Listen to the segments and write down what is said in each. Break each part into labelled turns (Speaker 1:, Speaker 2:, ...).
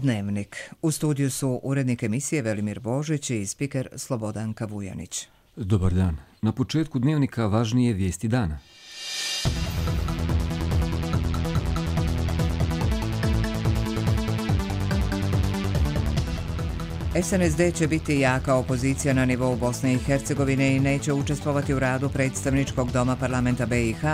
Speaker 1: Dnevnik. U studiju su urednik emisije Velimir Božić i spiker Slobodanka Vujanić.
Speaker 2: Dobar dan. Na početku Dnevnika važnije vijesti dana.
Speaker 1: SNSD će biti jaka opozicija na nivou Bosne i Hercegovine i neće učestvovati u radu predstavničkog doma parlamenta BiH,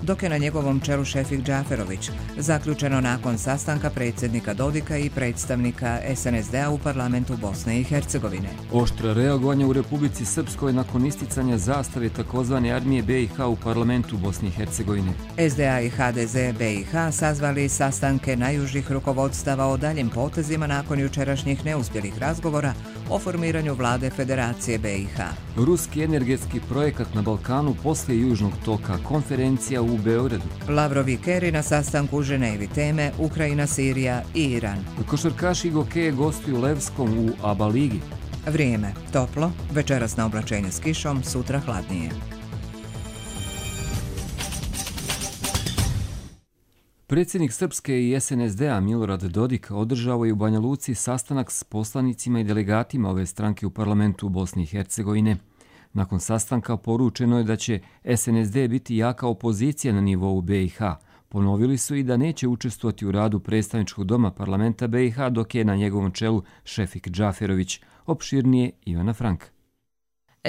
Speaker 1: dok je na njegovom čelu Šefik Džaferović, zaključeno nakon sastanka predsjednika Dodika i predstavnika SNSD-a u parlamentu Bosne i Hercegovine.
Speaker 2: Oštra reagovanja u Republici Srpskoj nakon isticanja zastave takozvane armije BiH u parlamentu Bosne i Hercegovine.
Speaker 1: SDA i HDZ BiH sazvali sastanke najužih rukovodstava o daljim potezima nakon jučerašnjih neuspjelih razgovora o formiranju vlade Federacije BiH.
Speaker 2: Ruski energetski projekat na Balkanu poslije Južnog toka, konferencija u Beogradu.
Speaker 1: Lavrov i Keri na sastanku u Ženevi, teme Ukrajina, Sirija i Iran.
Speaker 2: Košarkaši Gokeje gostuju Levskom u ABA ligi.
Speaker 1: Vrijeme toplo, večeras na oblačenje s kišom, sutra hladnije.
Speaker 2: Predsjednik Srpske i SNSD-a Milorad Dodik održao je u Banja Luci sastanak s poslanicima i delegatima ove stranke u parlamentu Bosne i Hercegovine. Nakon sastanka poručeno je da će SNSD biti jaka opozicija na nivou BiH. Ponovili su i da neće učestvovati u radu predstavničkog doma parlamenta BiH dok je na njegovom čelu Šefik Džaferović. Opširnije Ivana Frank.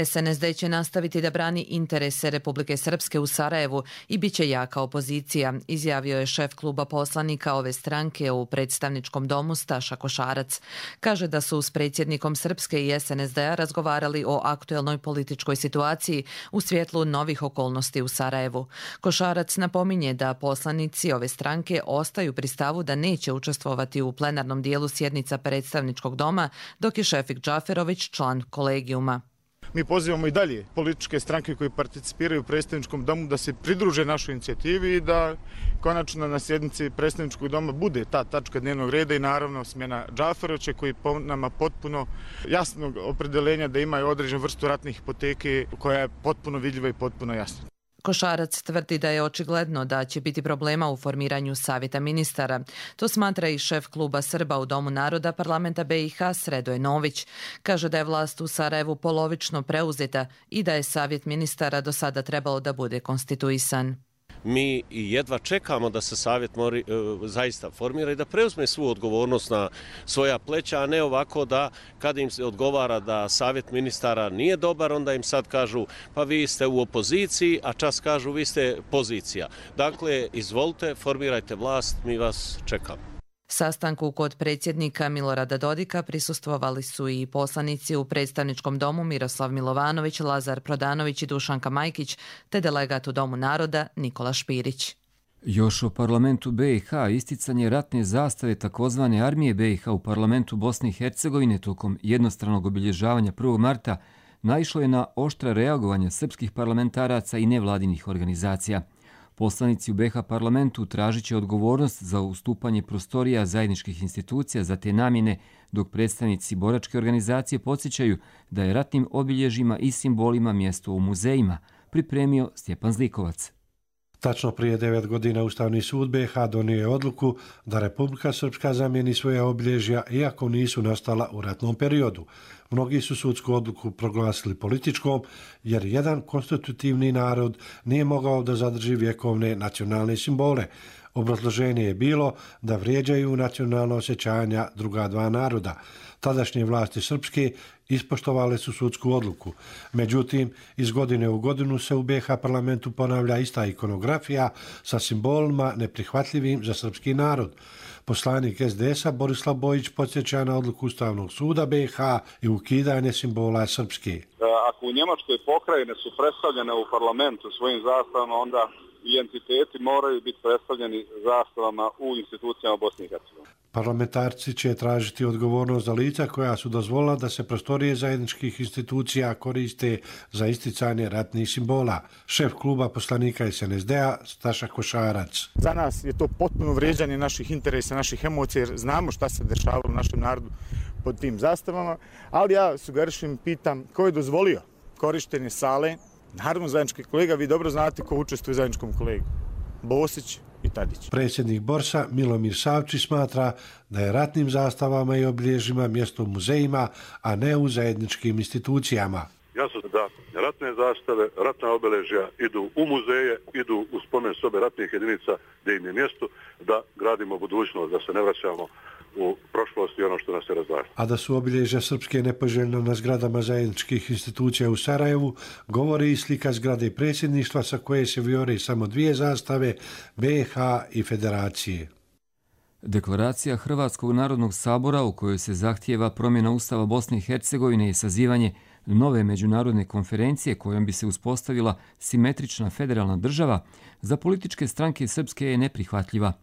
Speaker 3: SNSD će nastaviti da brani interese Republike Srpske u Sarajevu i bit će jaka opozicija, izjavio je šef kluba poslanika ove stranke u predstavničkom domu Staša Košarac. Kaže da su s predsjednikom Srpske i SNSD-a razgovarali o aktuelnoj političkoj situaciji u svjetlu novih okolnosti u Sarajevu. Košarac napominje da poslanici ove stranke ostaju pri stavu da neće učestvovati u plenarnom dijelu sjednica predstavničkog doma, dok je Šefik Džaferović član kolegijuma.
Speaker 4: Mi pozivamo i dalje političke stranke koji participiraju u predstavničkom domu da se pridruže našoj inicijativi i da konačno na sjednici predstavničkog doma bude ta tačka dnevnog reda i naravno smjena Džaferovića koji po nama potpuno jasnog opredeljenja da imaju određenu vrstu ratne hipoteke koja je potpuno vidljiva i potpuno jasna.
Speaker 3: Košarac tvrdi da je očigledno da će biti problema u formiranju savjeta ministara. To smatra i šef kluba Srba u Domu naroda parlamenta BiH Sredoje Nović. Kaže da je vlast u Sarajevu polovično preuzeta i da je savjet ministara do sada trebalo da bude konstituisan.
Speaker 5: Mi jedva čekamo da se savjet zaista formira i da preuzme svu odgovornost na svoja pleća, a ne ovako da kada im se odgovara da savjet ministara nije dobar, onda im sad kažu pa vi ste u opoziciji, a čas kažu vi ste pozicija. Dakle, izvolite, formirajte vlast, mi vas čekamo.
Speaker 3: Sastanku kod predsjednika Milorada Dodika prisustvovali su i poslanici u predstavničkom domu Miroslav Milovanović, Lazar Prodanović i Dušanka Majkić, te delegat u Domu naroda Nikola Špirić.
Speaker 2: Još o parlamentu BiH isticanje ratne zastave takozvane armije BiH u parlamentu Bosne i Hercegovine tokom jednostranog obilježavanja 1. marta naišlo je na oštra reagovanja srpskih parlamentaraca i nevladinih organizacija. Poslanici u BiH parlamentu tražit će odgovornost za ustupanje prostorija zajedničkih institucija za te namjene, dok predstavnici boračke organizacije podsjećaju da je ratnim obilježjima i simbolima mjesto u muzejima, pripremio Stjepan Zlikovac.
Speaker 6: Tačno prije 9 godina Ustavni sud BiH donio je odluku da Republika Srpska zamijeni svoja obilježja iako nisu nastala u ratnom periodu. Mnogi su sudsku odluku proglasili političkom jer jedan konstitutivni narod nije mogao da zadrži vjekovne nacionalne simbole. Obrazloženje je bilo da vrijeđaju nacionalna osjećanja druga dva naroda. Tadašnje vlasti srpske ispoštovale su sudsku odluku. Međutim, iz godine u godinu se u BiH parlamentu ponavlja ista ikonografija sa simbolima neprihvatljivim za srpski narod. Poslanik SDS-a Borislav Bojić podsjeća na odluku Ustavnog suda BiH i ukidanje simbola srpske.
Speaker 7: Ako u Njemačkoj pokrajine su predstavljene u parlamentu svojim zastavama, onda i entiteti moraju biti predstavljeni zastavama u institucijama Bosne i Hercegovine.
Speaker 6: Parlamentarci će tražiti odgovornost za lica koja su dozvolila da se prostorije zajedničkih institucija koriste za isticanje ratnih simbola. Šef kluba poslanika SNSD-a Staša Košarac.
Speaker 4: Za nas je to potpuno vrijeđanje naših interesa, naših emocija, jer znamo šta se dešavalo u našem narodu pod tim zastavama, ali ja sugerišem, pitam ko je dozvolio korištenje sale. Naravno, zajednički kolega, vi dobro znate ko učestvuje u zajedničkom kolegu. Bosić,
Speaker 8: i Tadić.
Speaker 6: Predsjednik Borsa Milomir Savčić smatra da je ratnim zastavama i obilježjima mjesto u muzejima, a ne u zajedničkim institucijama.
Speaker 9: Jasno da ratne zastave, ratna obeležja idu u muzeje, idu u spomen sobe ratnih jedinica gdje im je mjesto, da gradimo budućnost, da se ne vraćamo u prošlost i ono što nas se razdvaja.
Speaker 6: A da su obilježja srpske nepoželjno na zgradama zajedničkih institucija u Sarajevu, govori i slika zgrade predsjedništva sa koje se vijore samo 2 zastave, BiH i Federacije.
Speaker 2: Deklaracija Hrvatskog narodnog sabora u kojoj se zahtijeva promjena Ustava Bosne i Hercegovine i sazivanje nove međunarodne konferencije kojom bi se uspostavila simetrična federalna država, za političke stranke srpske je neprihvatljiva.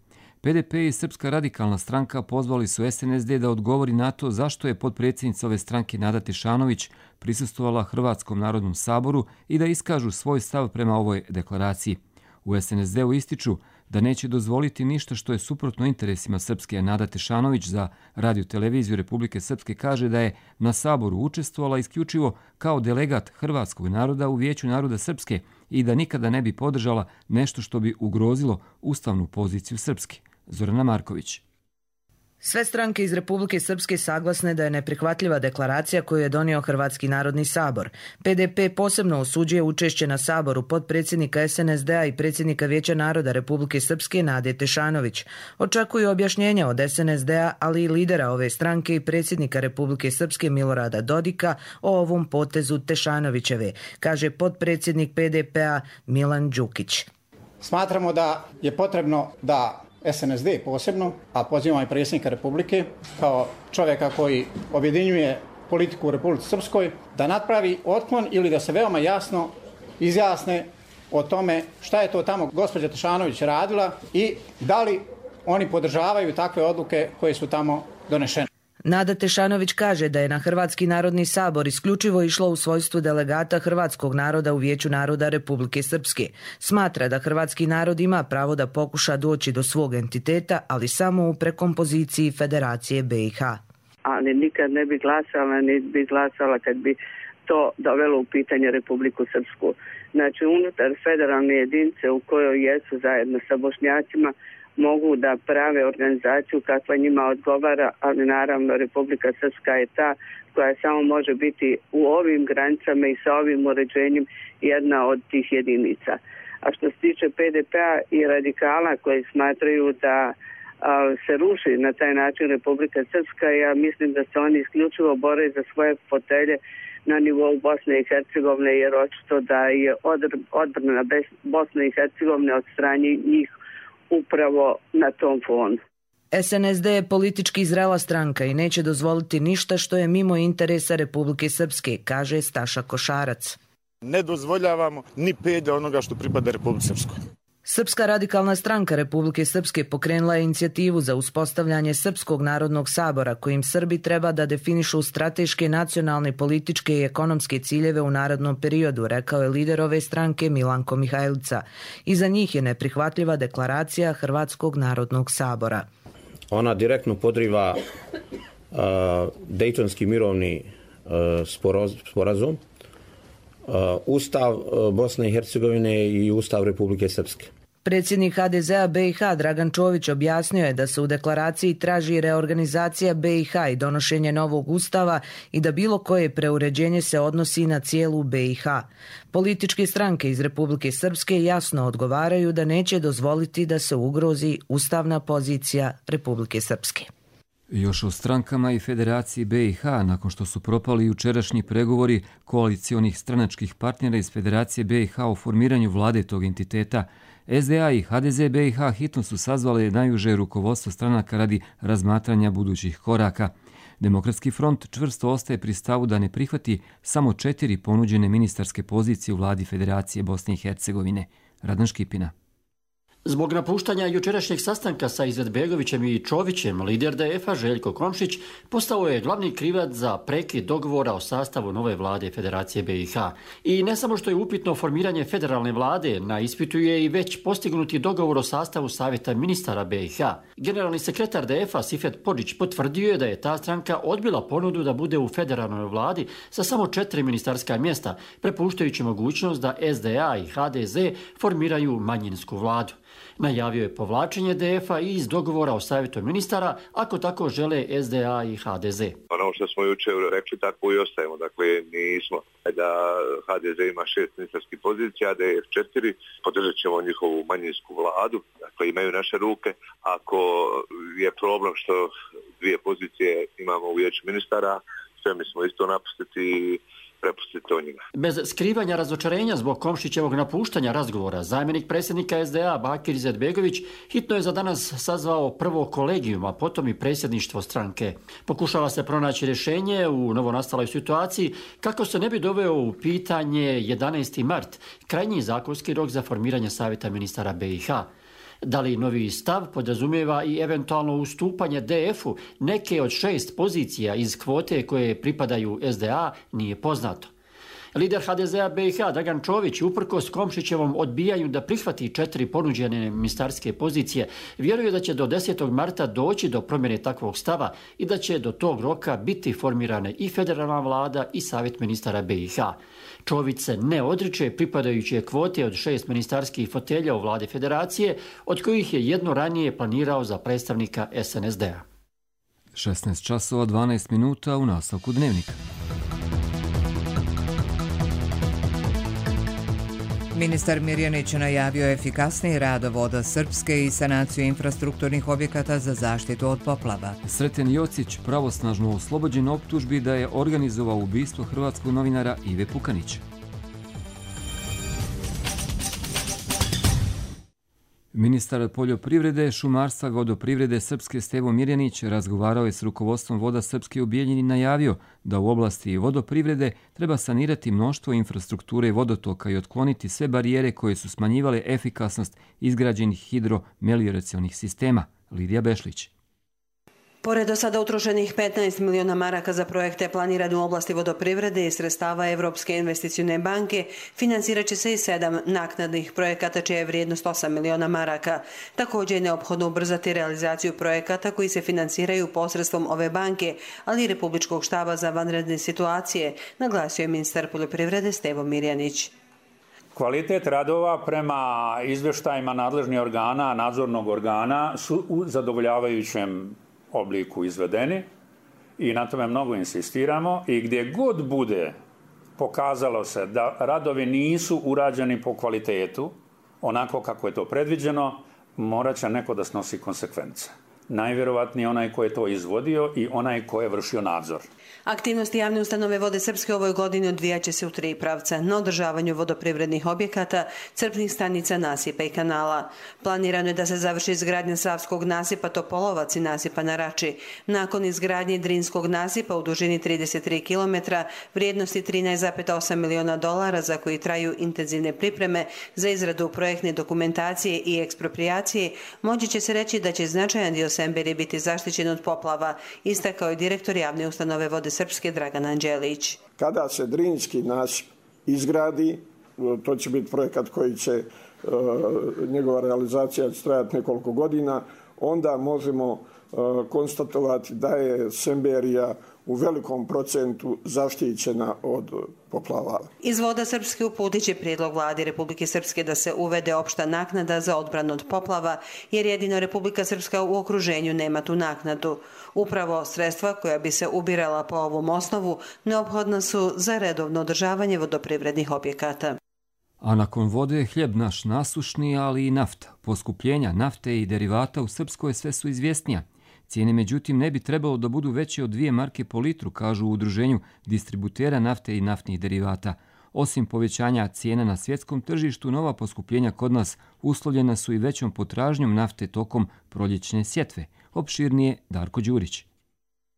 Speaker 2: PDP i Srpska radikalna stranka pozvali su SNSD da odgovori na to zašto je potpredsjednica ove stranke Nada Tešanović prisustvovala Hrvatskom narodnom saboru i da iskažu svoj stav prema ovoj deklaraciji. U SNSD-u ističu da neće dozvoliti ništa što je suprotno interesima Srpske. Nada Tešanović za Radio-televiziju Republike Srpske kaže da je na saboru učestvovala isključivo kao delegat hrvatskog naroda u Vijeću naroda Srpske i da nikada ne bi podržala nešto što bi ugrozilo ustavnu poziciju Srpske. Zorana Marković.
Speaker 10: Sve stranke iz Republike Srpske saglasne da je neprihvatljiva deklaracija koju je donio Hrvatski narodni sabor. PDP posebno osuđuje učešće na saboru potpredsjednika SNSD-a i predsjednika Vijeća naroda Republike Srpske Nade Tešanović. Očekuju objašnjenja od SNSD-a, ali i lidera ove stranke i predsjednika Republike Srpske Milorada Dodika o ovom potezu Tešanovićeve, kaže potpredsjednik PDP-a Milan Đukić.
Speaker 11: Smatramo da je potrebno da SNSD posebno, a pozivamo i predsjednika Republike kao čovjeka koji objedinjuje politiku u Republici Srpskoj, da napravi otklon ili da se veoma jasno izjasne o tome šta je to tamo gospođa Tešanović radila i da li oni podržavaju takve odluke koje su tamo donešene.
Speaker 10: Nada Tešanović kaže da je na Hrvatski narodni sabor isključivo išlo u svojstvu delegata hrvatskog naroda u Vijeću naroda Republike Srpske. Smatra da hrvatski narod ima pravo da pokuša doći do svog entiteta, ali samo u prekompoziciji Federacije BiH.
Speaker 12: Ali nikad ne bi glasala, ni bi glasala kad bi to dovelo u pitanje Republiku Srpsku. Znači, unutar federalne jedinice u kojoj jesu zajedno sa Bošnjacima mogu da prave organizaciju kakva njima odgovara, ali naravno Republika Srpska je ta koja samo može biti u ovim granicama i sa ovim uređenjem jedna od tih jedinica. A što se tiče PDP-a i radikala koji smatraju da se ruši na taj način Republika Srpska, ja mislim da se oni isključivo bore za svoje fotelje na nivou Bosne i Hercegovine, jer očito da je odbrana Bosne i Hercegovine od strane njih upravo na tom fonu.
Speaker 10: SNSD je politički zrela stranka i neće dozvoliti ništa što je mimo interesa Republike Srpske, kaže Staša Košarac.
Speaker 8: Ne dozvoljavamo ni pede onoga što pripada Republike Srpskoj.
Speaker 10: Srpska radikalna stranka Republike Srpske pokrenula je inicijativu za uspostavljanje Srpskog narodnog sabora kojim Srbi treba da definišu strateške, nacionalne, političke i ekonomske ciljeve u narednom periodu, rekao je lider ove stranke Milanko Mihajlica. Iza njih je neprihvatljiva deklaracija Hrvatskog narodnog sabora.
Speaker 13: Ona direktno podriva Dejtonski mirovni sporazum, Ustav Bosne i Hercegovine i Ustav Republike Srpske.
Speaker 10: Predsjednik HDZ-a BiH Dragan Čović objasnio je da se u deklaraciji traži reorganizacija BiH i donošenje novog ustava i da bilo koje preuređenje se odnosi na cijelu BiH. Političke stranke iz Republike Srpske jasno odgovaraju da neće dozvoliti da se ugrozi ustavna pozicija Republike Srpske.
Speaker 2: Još o strankama i Federaciji BiH, nakon što su propali jučerašnji pregovori koalicionih stranačkih partnera iz Federacije BiH o formiranju vlade tog entiteta, SDA i HDZ BiH hitno su sazvale najuže rukovodstvo stranaka radi razmatranja budućih koraka. Demokratski front čvrsto ostaje pri stavu da ne prihvati samo 4 ponuđene ministarske pozicije u vladi Federacije Bosne i Hercegovine. Radan Škipina.
Speaker 14: Zbog napuštanja jučerašnjeg sastanka sa Izetbegovićem i Čovićem, lider DF-a Željko Komšić postao je glavni krivac za prekid dogovora o sastavu nove vlade Federacije BiH. I ne samo što je upitno formiranje federalne vlade, na ispitu je i već postignuti dogovor o sastavu savjeta ministara BiH. Generalni sekretar DF-a Sifet Podžić potvrdio je da je ta stranka odbila ponudu da bude u federalnoj vladi sa samo 4 ministarska mjesta, prepuštajući mogućnost da SDA i HDZ formiraju manjinsku vladu. Najavio je povlačenje DF-a i iz dogovora o savjetu ministara, ako tako žele SDA i HDZ.
Speaker 15: Ono što smo jučer rekli, tako i ostajemo. Dakle, nismo da HDZ ima 6 ministarskih pozicija, DF 4, podržat ćemo njihovu manjinsku vladu, dakle imaju naše ruke. Ako je problem što 2 pozicije imamo u vijeću ministara, sve mi smo isto napustiti i prepustiti to njima.
Speaker 14: Bez skrivanja razočarenja zbog Komšićevog napuštanja razgovora, zamjenik predsjednika SDA Bakir Izetbegović hitno je za danas sazvao prvo kolegijum, a potom i predsjedništvo stranke. Pokušava se pronaći rješenje u novonastaloj situaciji kako se ne bi doveo u pitanje 11. mart, krajnji zakonski rok za formiranje savjeta ministara BiH. Da li novi stav podrazumijeva i eventualno ustupanje DF-u neke od 6 pozicija iz kvote koje pripadaju SDA nije poznato. Lider HDZ-a BiH Dragan Čović uprkos Komšićevom odbijanju da prihvati 4 ponuđene ministarske pozicije vjeruje da će do 10. marta doći do promjene takvog stava i da će do tog roka biti formirane i federalna vlada i savjet ministara BiH. Čović se ne odriče pripadajuće kvote od 6 ministarskih fotelja u vladi federacije, od kojih je jedno ranije planirao za predstavnika SNSD-a.
Speaker 2: 16 časova 12 minuta u nastavku Dnevnika.
Speaker 1: Ministar Mirjanić najavio efikasniji rad Voda Srpske i sanaciju infrastrukturnih objekata za zaštitu od poplava.
Speaker 2: Sreten Jocić pravosnažno oslobođen optužbi da je organizovao ubistvo hrvatskog novinara Ive Pukanića. Ministar poljoprivrede, šumarstva, vodoprivrede Srpske Stevo Mirjanić razgovarao je s rukovodstvom Voda Srpske u Bijeljini i najavio da u oblasti vodoprivrede treba sanirati mnoštvo infrastrukture vodotoka i otkloniti sve barijere koje su smanjivale efikasnost izgrađenih hidromelioracionih sistema. Lidija Bešlić.
Speaker 16: Pored do sada utrošenih 15 miliona maraka za projekte planirane u oblasti vodoprivrede i sredstava Evropske investicione banke, financirat će se i 7 naknadnih projekata čija je vrijednost 8 miliona maraka. Također je neophodno ubrzati realizaciju projekata koji se financiraju posredstvom ove banke, ali i Republičkog štaba za vanredne situacije, naglasio je ministar poljoprivrede Stevo Mirjanić.
Speaker 17: Kvalitet radova prema izvještajima nadležnih organa, nadzornog organa su u zadovoljavajućem obliku izvedeni i na tome mnogo insistiramo i gdje god bude pokazalo se da radovi nisu urađeni po kvalitetu, onako kako je to predviđeno, morat će neko da snosi konsekvence. Najvjerovatnije onaj ko je to izvodio i onaj ko je vršio nadzor.
Speaker 16: Aktivnosti javne ustanove Vode Srpske u ovoj godini odvijat će se u 3 pravca. Na održavanju vodoprivrednih objekata, crpnih stanica, nasipa i kanala. Planirano je da se završi izgradnja Savskog nasipa Topolovac i nasipa na Rači. Nakon izgradnje Drinskog nasipa u dužini 33 km, vrijednosti $13,8 miliona za koji traju intenzivne pripreme za izradu projektne dokumentacije i ekspropriacije, moći će se reći da će značajan dio Semberije biti zaštićen od poplava, istakao je direktor javne ustanove Vode Srpske Dragan Anđelić.
Speaker 18: Kada se Drinski nasip izgradi, to će biti projekat koji će njegova realizacija trajati nekoliko godina, onda možemo konstatovati da je Semberija u velikom procentu zaštićena od poplava.
Speaker 16: Iz Voda Srpske uputit će prijedlog vladi Republike Srpske da se uvede opšta naknada za odbranu od poplava, jer jedino Republika Srpska u okruženju nema tu naknadu. Upravo sredstva koja bi se ubirala po ovom osnovu neophodna su za redovno održavanje vodoprivrednih objekata.
Speaker 2: A nakon vode je hljeb naš nasušni, ali i nafta. Poskupljenja nafte i derivata u Srpskoj sve su izvjesnija. Cijene, međutim, ne bi trebalo da budu veće od 2 marke po litru, kažu u udruženju distributera nafte i naftnih derivata. Osim povećanja cijena na svjetskom tržištu, nova poskupljenja kod nas uslovljena su i većom potražnjom nafte tokom proljećne sjetve. Opširnije Darko Đurić.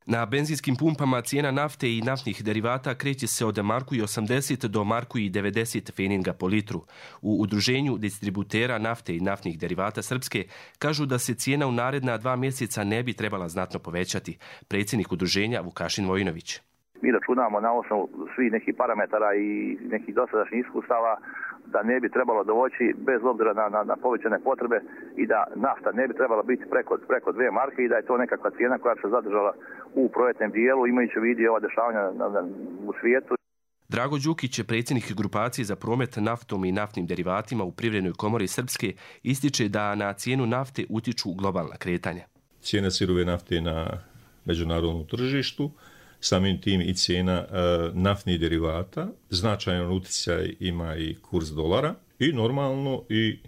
Speaker 19: Na benzinskim pumpama cijena nafte i naftnih derivata kreće se od marku i 80 do marku i 90 feninga po litru. U udruženju distributera nafte i naftnih derivata Srpske kažu da se cijena u naredna 2 mjeseca ne bi trebala znatno povećati. Predsjednik udruženja Vukašin Vojinović.
Speaker 20: Mi računamo na osnovu svih nekih parametara i nekih dosadašnjih iskustava da ne bi trebalo doći bez obzira na povećane potrebe i da nafta ne bi trebala biti preko 2 marke i da je to nekakva cijena koja se zadržala u projektnom dijelu imajući u vidu ova dešavanja u svijetu.
Speaker 19: Drago Đukić, predsjednik grupacije za promet naftom i naftnim derivatima u Privrednoj komori Srpske, ističe da na cijenu nafte utiču globalna kretanja.
Speaker 21: Cijena sirove nafte na međunarodnom tržištu, samim tim i cijena naftnih derivata, značajan utjecaj ima i kurs dolara i normalno i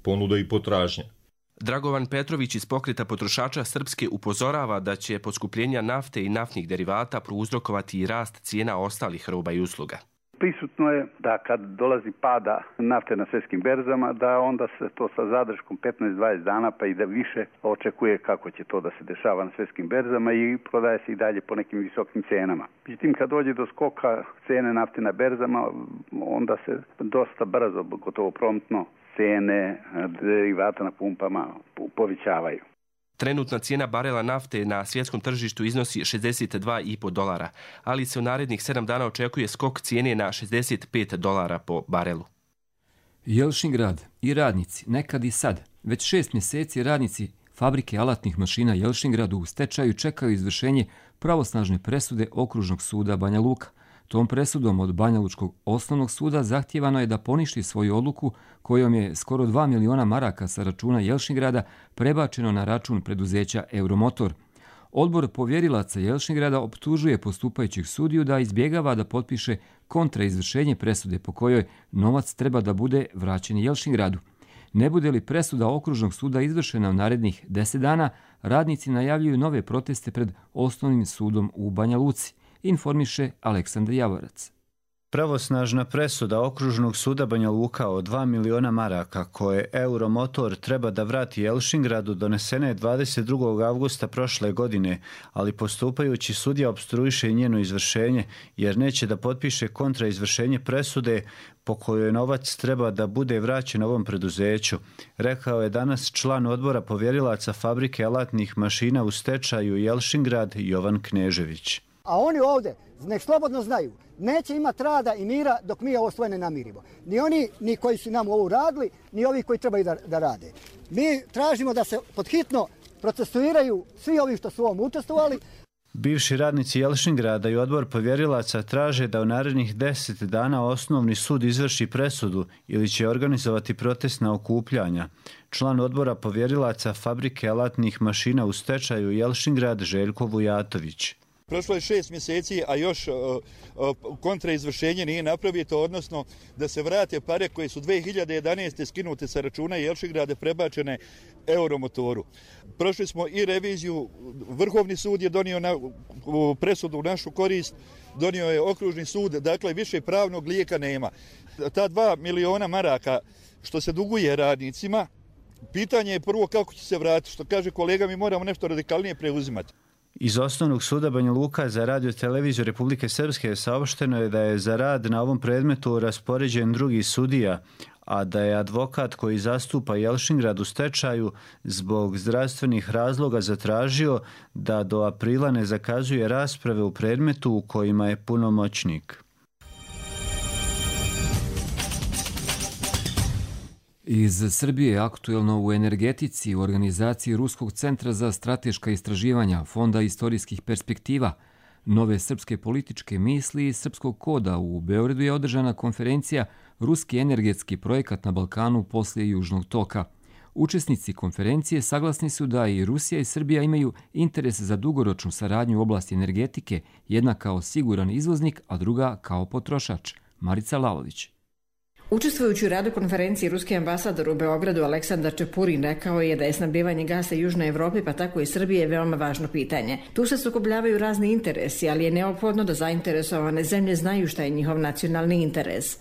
Speaker 21: ponuda i potražnja.
Speaker 19: Dragovan Petrović iz Pokreta potrošača Srpske upozorava da će poskupljenja nafte i naftnih derivata prouzrokovati i rast cijena ostalih roba i usluga.
Speaker 22: Prisutno je da kad dolazi pada nafte na svjetskim berzama, da onda se to sa zadrškom 15-20 dana pa i da više očekuje kako će to da se dešava na svjetskim berzama i prodaje se i dalje po nekim visokim cijenama. Međutim, kad dođe do skoka cijene nafte na berzama, onda se dosta brzo, gotovo promptno, cijene derivata na pumpama povećavaju.
Speaker 19: Trenutna cijena barela nafte na svjetskom tržištu iznosi $62,5, ali se u narednih 7 dana očekuje skok cijene na $65 po barelu.
Speaker 2: Jelšingrad i radnici, nekad i sad, već 6 mjeseci radnici fabrike alatnih mašina Jelšingradu u stečaju čekaju izvršenje pravosnažne presude Okružnog suda Banja Luka. Tom presudom od Banja Lučkog osnovnog suda zahtijevano je da poništi svoju odluku kojom je skoro 2 miliona maraka sa računa Jelšingrada prebačeno na račun preduzeća Euromotor. Odbor povjerilaca Jelšingrada optužuje postupajućeg sudiju da izbjegava da potpiše kontraizvršenje presude po kojoj novac treba da bude vraćen Jelšingradu. Ne bude li presuda Okružnog suda izvršena u narednih 10 dana, radnici najavljuju nove proteste pred osnovnim sudom u Banja Luci, informiše Aleksandar Javorac.
Speaker 23: Pravosnažna presuda Okružnog suda Banja Luka od 2 miliona maraka koje Euromotor treba da vrati Jelšingradu donesena je 22. avgusta prošle godine, ali postupajući sudija opstruiše njeno izvršenje jer neće da potpiše kontraizvršenje presude po kojoj novac treba da bude vraćen ovom preduzeću, rekao je danas član odbora povjerilaca fabrike alatnih mašina u stečaju Jelšingrad Jovan Knežević.
Speaker 24: A oni ovdje, nek slobodno znaju, neće imati rada i mira dok mi ovo svoje ne namirimo. Ni oni ni koji su nam ovo radili, ni ovi koji trebaju da rade. Mi tražimo da se podhitno procesuiraju svi ovi što su ovom učestvovali.
Speaker 23: Bivši radnici Jelšingrada i odbor povjerilaca traže da u narednih 10 dana osnovni sud izvrši presudu ili će organizovati protestna okupljanja. Član odbora povjerilaca fabrike alatnih mašina u stečaju Jelšingrad Željko Vujatović.
Speaker 25: Prošlo je 6 mjeseci, a još kontraizvršenje nije napravito, odnosno da se vrate pare koje su 2011. skinute sa računa Jelšingrada prebačene Euromotoru. Prošli smo i reviziju, Vrhovni sud je donio presudu u našu korist, donio je Okružni sud, dakle više pravnog lijeka nema. Ta 2 miliona maraka što se duguje radnicima, pitanje je prvo kako će se vratiti, što kaže kolega, mi moramo nešto radikalnije preuzimati.
Speaker 23: Iz Osnovnog suda Banja Luka za radio televiziju Republike Srpske saopšteno je da je za rad na ovom predmetu raspoređen drugi sudija, a da je advokat koji zastupa Jelšingrad u stečaju zbog zdravstvenih razloga zatražio da do aprila ne zakazuje rasprave u predmetu u kojima je punomoćnik.
Speaker 2: Iz Srbije aktuelno u energetici u organizaciji Ruskog centra za strateška istraživanja Fonda istorijskih perspektiva, nove srpske političke misli i srpskog koda u Beogradu je održana konferencija Ruski energetski projekat na Balkanu poslije Južnog toka. Učesnici konferencije saglasni su da i Rusija i Srbija imaju interes za dugoročnu saradnju u oblasti energetike, jedna kao siguran izvoznik, a druga kao potrošač. Marica Lalović.
Speaker 26: Učestvujući u radu konferencije, ruski ambasador u Beogradu Aleksandar Čepurin rekao je da je snabdevanje gasa Južnoj Evropi, pa tako i Srbije, veoma važno pitanje. Tu se sukobljavaju razni interesi, ali je neophodno da zainteresovane zemlje znaju šta je njihov nacionalni interes.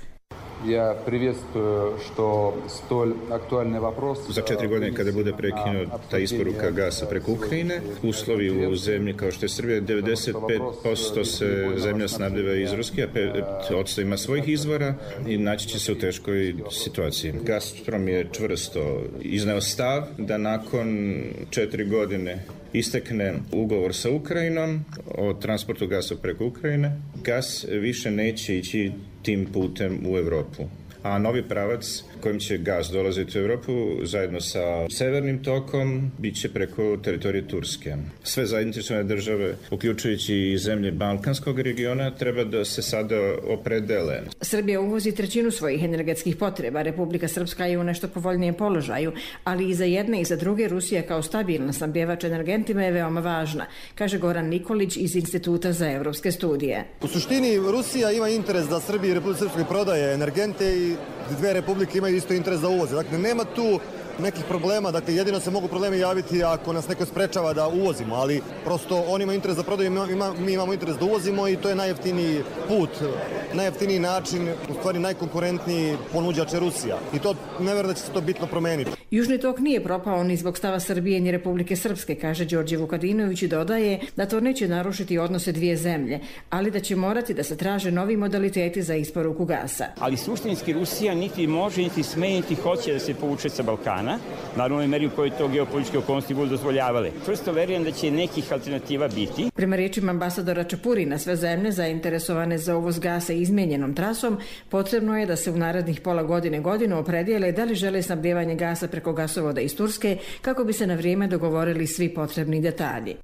Speaker 27: Ja priветствую, što stolj aktualne вопрос.
Speaker 28: Za 4 godine kada bude prekinuta isporuka gasa preko Ukrajine, uslovi u zemlji kao što je Srbija, 95% se zemlja snabdeva iz Ruske, a 5% ima svojih izvora i naći će se u teškoj situaciji. Gazprom je čvrsto izneo stav da nakon 4 godine istekne ugovor sa Ukrajinom o transportu gasa preko Ukrajine, gas više neće ići tim putem u Europu. a novi pravac kojim će gaz dolaziti u Europu zajedno sa severnim tokom bit će preko teritorije Turske. Sve zainteresovane države, uključujući i zemlje Balkanskog regiona, treba da se sada opredele.
Speaker 26: Srbija uvozi trećinu svojih energetskih potreba. Republika Srpska je u nešto povoljnijem položaju, ali i za jedne i za druge Rusija kao stabilna snabdjevač energentima je veoma važna, kaže Goran Nikolić iz Instituta za evropske studije.
Speaker 3: U suštini Rusija ima interes da Srbiji i Republici Srpskoj prodaje energente i dve republike imaju isto interes da uvoze. Dakle, nema tu nekih problema, dakle jedino se mogu problemi javiti ako nas neko sprečava da uvozimo, ali prosto on ima interes da prodaju, mi imamo interes da uvozimo i to je najjeftiniji put, najjeftiniji način, u stvari najkonkurentniji ponuđač je Rusija i to ne vjerujem da će se to bitno promeniti.
Speaker 26: Južni tok nije propao ni zbog stava Srbije ni Republike Srpske, kaže Đorđe Vukadinović i dodaje da to neće narušiti odnose dvije zemlje, ali da će morati da se traže novi modaliteti za isporuku gasa.
Speaker 4: Ali suštinski Rusija niti može, niti sme, niti hoće da se povuče sa Balkana, naravno u meri u kojoj to geopolitičke okolnosti budu dozvoljavale. Čvrsto verujem da će nekih alternativa biti.
Speaker 26: Prema riječima ambasadora Čepurina, sve zemlje zainteresovane za uvoz gasa izmijenjenom trasom, potrebno je da se u narednih pola godinu opredijele da li žele snabdjevanje gasa preko gasovoda iz Turske kako bi se na vrijeme dogovorili svi potrebni detalji.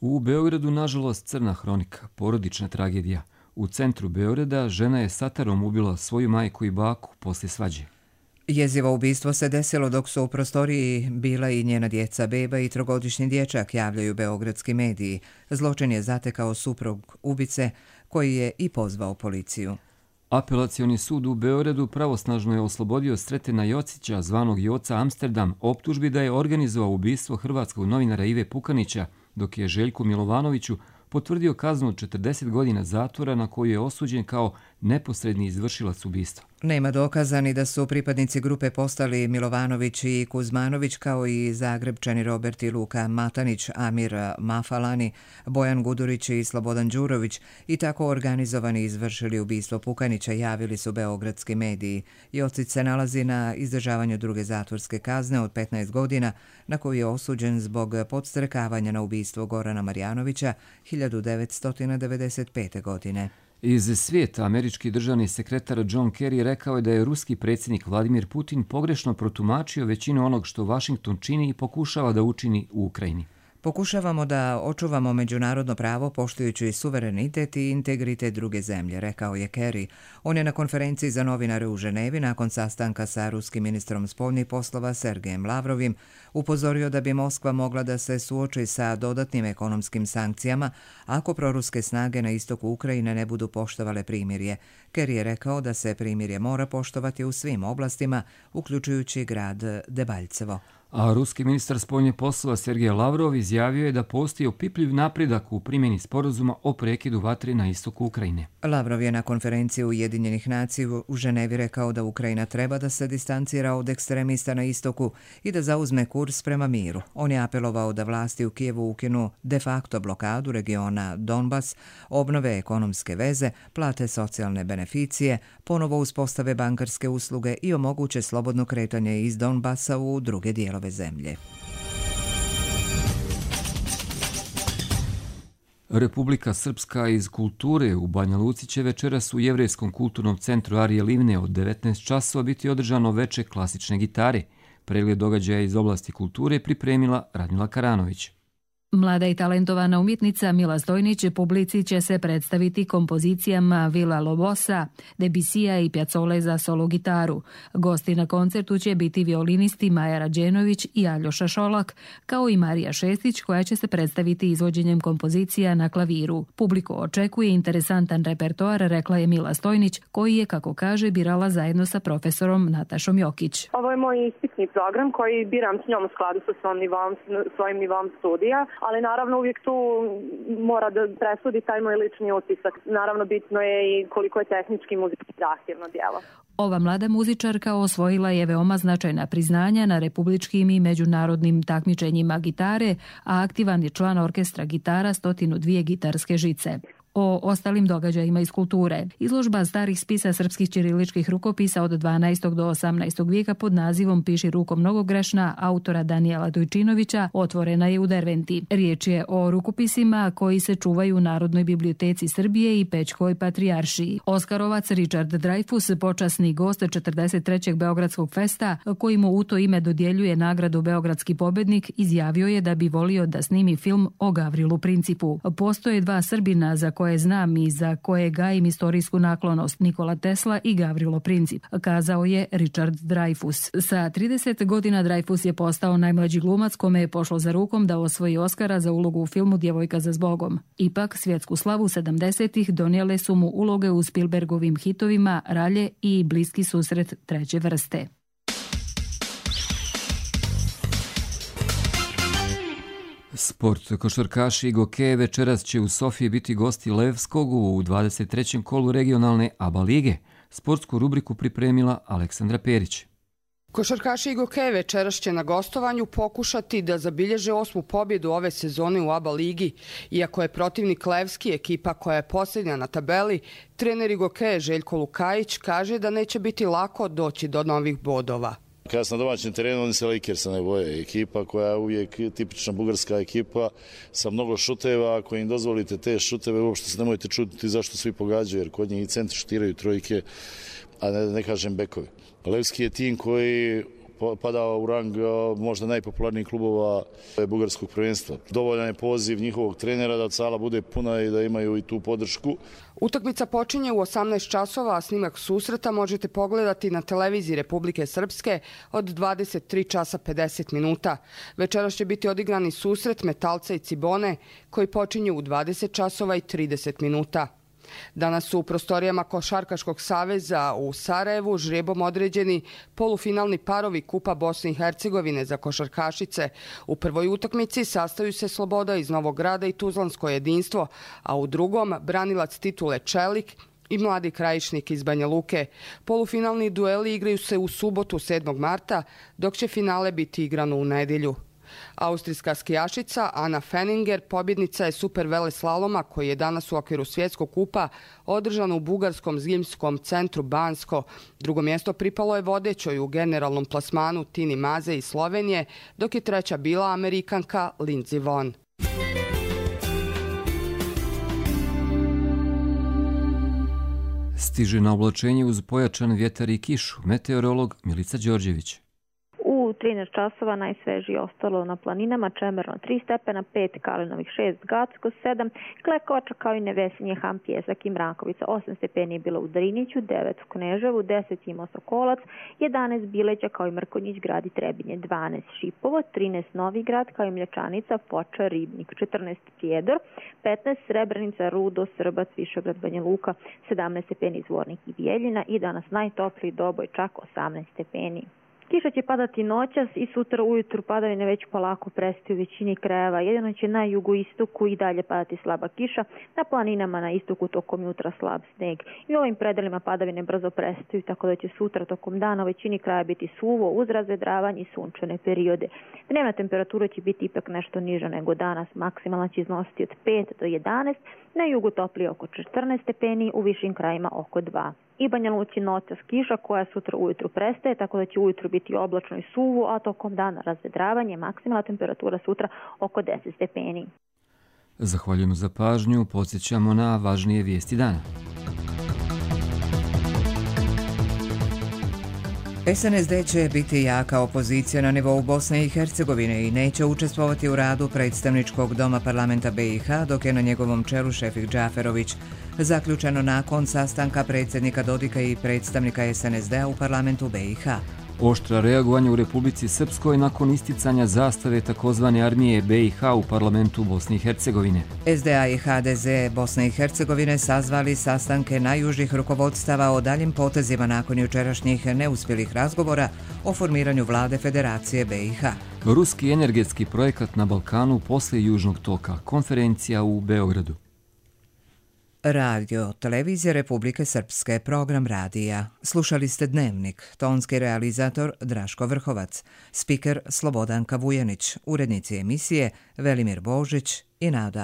Speaker 2: U Beogradu, nažalost, crna hronika, porodična tragedija. U centru Beograda žena je satarom ubila svoju majku i baku poslije svađe.
Speaker 1: Jezivo ubistvo se desilo dok su u prostoriji bila i njena djeca, beba i trogodišnji dječak, javljaju beogradski mediji. Zločin je zatekao suprug ubice koji je i pozvao policiju.
Speaker 2: Apelacioni sud u Beogradu pravosnažno je oslobodio Sretena Jocića, zvanog Joca Amsterdam, optužbi da je organizovao ubistvo hrvatskog novinara Ive Pukanića, dok je Željku Milovanoviću potvrdio kaznu od 40 godina zatvora na koju je osuđen kao neposredni izvršilac ubistva.
Speaker 1: Nema dokaza ni da su pripadnici grupe postali Milovanović i Kuzmanović, kao i Zagrebčani Robert i Luka Matanić, Amir Mafalani, Bojan Gudurić i Slobodan Đurović i tako organizovani izvršili ubistvo Pukanića, javili su beogradski mediji. Jocić se nalazi na izdržavanju druge zatvorske kazne od 15 godina, na koju je osuđen zbog podstrekavanja na ubistvo Gorana Marjanovića 1995. godine.
Speaker 2: Iz svijeta američki državni sekretar John Kerry rekao je da je ruski predsjednik Vladimir Putin pogrešno protumačio većinu onog što Washington čini i pokušava da učini u Ukrajini.
Speaker 1: Pokušavamo da očuvamo međunarodno pravo poštujući suverenitet i integritet druge zemlje, rekao je Kerry. On je na konferenciji za novinare u Ženevi nakon sastanka sa ruskim ministrom spoljnih poslova Sergejem Lavrovim upozorio da bi Moskva mogla da se suoči sa dodatnim ekonomskim sankcijama ako proruske snage na istoku Ukrajine ne budu poštovale primirje. Kerry je rekao da se primirje mora poštovati u svim oblastima, uključujući grad Debaljevo.
Speaker 2: A ruski ministar spoljnih poslova Sergej Lavrov izjavio je da postoji opipljiv napredak u primjeni sporazuma o prekidu vatre na istoku Ukrajine.
Speaker 1: Lavrov je na konferenciji Ujedinjenih nacija u Ženevi rekao da Ukrajina treba da se distancira od ekstremista na istoku i da zauzme kurs prema miru. On je apelovao da vlasti u Kijevu ukinu de facto blokadu regiona Donbas, obnove ekonomske veze, plate socijalne beneficije, ponovo uspostave bankarske usluge i omoguće slobodno kretanje iz Donbasa u druge dijelove zemlje.
Speaker 2: Republika Srpska iz kulture u Banja Luci će večeras u Jevrejskom kulturnom centru Arije Livne od 19 časova biti održano veče klasične gitare. Pregled događaja iz oblasti kulture pripremila Radmila Karanović.
Speaker 5: Mlada i talentovana umjetnica Mila Stojnić publici će se predstaviti kompozicijama Vila Lobosa, Debisija i Pjazzole za solo gitaru. Gosti na koncertu će biti violinisti Maja Rađenović i Aljoša Šolak, kao i Marija Šestić koja će se predstaviti izvođenjem kompozicija na klaviru. Publiku očekuje interesantan repertoar, rekla je Mila Stojnić, koji je, kako kaže, birala zajedno sa profesorom Natašom Jokić.
Speaker 6: Ovo je moj ispitni program koji biram s njom u skladu sa svojim nivom studija. Ali naravno uvijek tu mora da presudi taj moj lični utisak. Naravno bitno je i koliko je tehnički muzički zahtjevno djelo.
Speaker 5: Ova mlada muzičarka osvojila je veoma značajna priznanja na republičkim i međunarodnim takmičenjima gitare, a aktivan je član orkestra gitara 102 gitarske žice. o ostalim događajima iz kulture. Izložba starih spisa srpskih ćiriličkih rukopisa od 12. do 18. vijeka pod nazivom Piši rukom mnogogrešna autora Danijela Dojčinovića otvorena je u Derventi. Riječ je o rukopisima koji se čuvaju u Narodnoj biblioteci Srbije i Pećkoj patrijaršiji. Oskarovac Richard Dreyfuss, počasni gost 43. Beogradskog festa, koji mu u to ime dodjeljuje nagradu Beogradski pobednik, izjavio je da bi volio da snimi film o Gavrilu Principu. Postoje dva Srbina za koje znam i za koje gajim istorijsku naklonost, Nikola Tesla i Gavrilo Princip, kazao je Richard Dreyfuss. Sa 30 godina Dreyfuss je postao najmlađi glumac kome je pošlo za rukom da osvoji Oskara za ulogu u filmu Djevojka za zbogom. Ipak, svjetsku slavu 70-ih donijele su mu uloge u Spielbergovim hitovima Ralje i Bliski susret treće vrste.
Speaker 2: Sport. Košarkaši Gokeje večeras će u Sofiji biti gosti Levskog u 23. kolu regionalne ABA lige. Sportsku rubriku pripremila Aleksandra Perić.
Speaker 7: Košarkaši Gokeje večeras će na gostovanju pokušati da zabilježe 8. pobjedu ove sezone u ABA ligi. Iako je protivnik Levski, ekipa koja je posljednja na tabeli, trener Gokeje Željko Lukajić kaže da neće biti lako doći do novih bodova.
Speaker 8: Kada sam na domaćem terenu, oni se Lakersa ne boje. Ekipa koja je uvijek tipična bugarska ekipa sa mnogo šuteva. Ako im dozvolite te šuteve, uopšte se nemojte čuditi zašto svi pogađaju, jer kod njih i centri šutiraju trojke, a ne kažem bekovi. Levski je tim koji padao u rang možda najpopularnijih klubova bugarskog prvenstva. Dovoljan je poziv njihovog trenera da sala bude puna i da imaju i tu podršku.
Speaker 7: Utakmica počinje u 18 časova, a snimak susreta možete pogledati na televiziji Republike Srpske od 23 časa 50 minuta. Večeras će biti odigrani susret Metalca i Cibone koji počinje u 20 časova i 30 minuta. Danas su u prostorijama Košarkaškog saveza u Sarajevu žrebom određeni polufinalni parovi Kupa Bosne i Hercegovine za košarkašice. U prvoj utakmici sastaju se Sloboda iz Novog Grada i Tuzlansko jedinstvo, a u drugom branilac titule Čelik i mladi Krajišnik iz Banja Luke. Polufinalni dueli igraju se u subotu 7. marta, dok će finale biti igrano u nedjelju. Austrijska skijašica Ana Fenninger pobjednica je super veleslaloma koji je danas u okviru svjetskog kupa održan u bugarskom zimskom centru Bansko. Drugo mjesto pripalo je vodećoj u generalnom plasmanu Tini Maze iz Slovenije, dok je treća bila Amerikanka Lindsey Vonn.
Speaker 2: Stiže na oblačenje uz pojačan vjetar i kišu. Meteorolog Milica Đorđević.
Speaker 9: U 13 časova najsvežije ostalo na planinama, Čemerno 3 stepena, 5, Kalinovih 6, Gacko 7, Klekoča kao i Nevesinje, Ham, Pjesak i Mrakovica. 8 stepeni je bilo u Driniću, 9 u Kneževu, 10 Imao Sokolac, 11 Bileća kao i Mrkonjić, Grad i Trebinje, 12 Šipovo, 13 Novi Grad kao i Mljačanica, Foča, Ribnik, 14 Prijedor, 15 Srebrenica, Rudo, Srbac, Višegrad, Banja Luka, 17 stepeni Zvornik i Bijeljina i danas najtopliji Doboj, čak 18 stepeni. Kiša će padati noćas i sutra ujutru padavine već polako prestaju u većini krajeva. Jedino će na jugoistoku i dalje padati slaba kiša, na planinama na istoku tokom jutra slab sneg. I u ovim predelima padavine brzo prestaju, tako da će sutra tokom dana u većini kraja biti suvo uz razvedravanje i sunčane periode. Dnevna temperatura će biti ipak nešto niža nego danas, maksimalna će iznositi od 5 do 11, na jugu toplije oko 14 stepeni, u višim krajima oko 2. I Banja Luci noćas kiša koja sutra ujutru prestaje, tako da će ujutru biti oblačno i suvo, a tokom dana razvedravanje, maksimalna temperatura sutra oko 10 stepeni.
Speaker 2: Zahvaljujemo za pažnju, podsjećamo na važnije vijesti dana.
Speaker 1: SNSD će biti jaka opozicija na nivou Bosne i Hercegovine i neće učestvovati u radu predstavničkog doma parlamenta BiH, dok je na njegovom čelu Šefik Džaferović. Zaključeno nakon sastanka predsjednika Dodika i predstavnika SNSD-a u parlamentu BiH.
Speaker 2: Oštra reagovanja u Republici Srpskoj nakon isticanja zastave takozvane armije BiH u parlamentu Bosne i Hercegovine.
Speaker 1: SDA i HDZ Bosne i Hercegovine sazvali sastanke najjužih rukovodstava o daljim potezima nakon jučerašnjih neuspjelih razgovora o formiranju vlade Federacije BiH.
Speaker 2: Ruski energetski projekat na Balkanu poslije Južnog toka. Konferencija u Beogradu.
Speaker 1: Radio, televizija Republike Srpske, program radija. Slušali ste Dnevnik, tonski realizator Draško Vrhovac, spiker Slobodanka Vujanić, urednici emisije Velimir Božić i Nada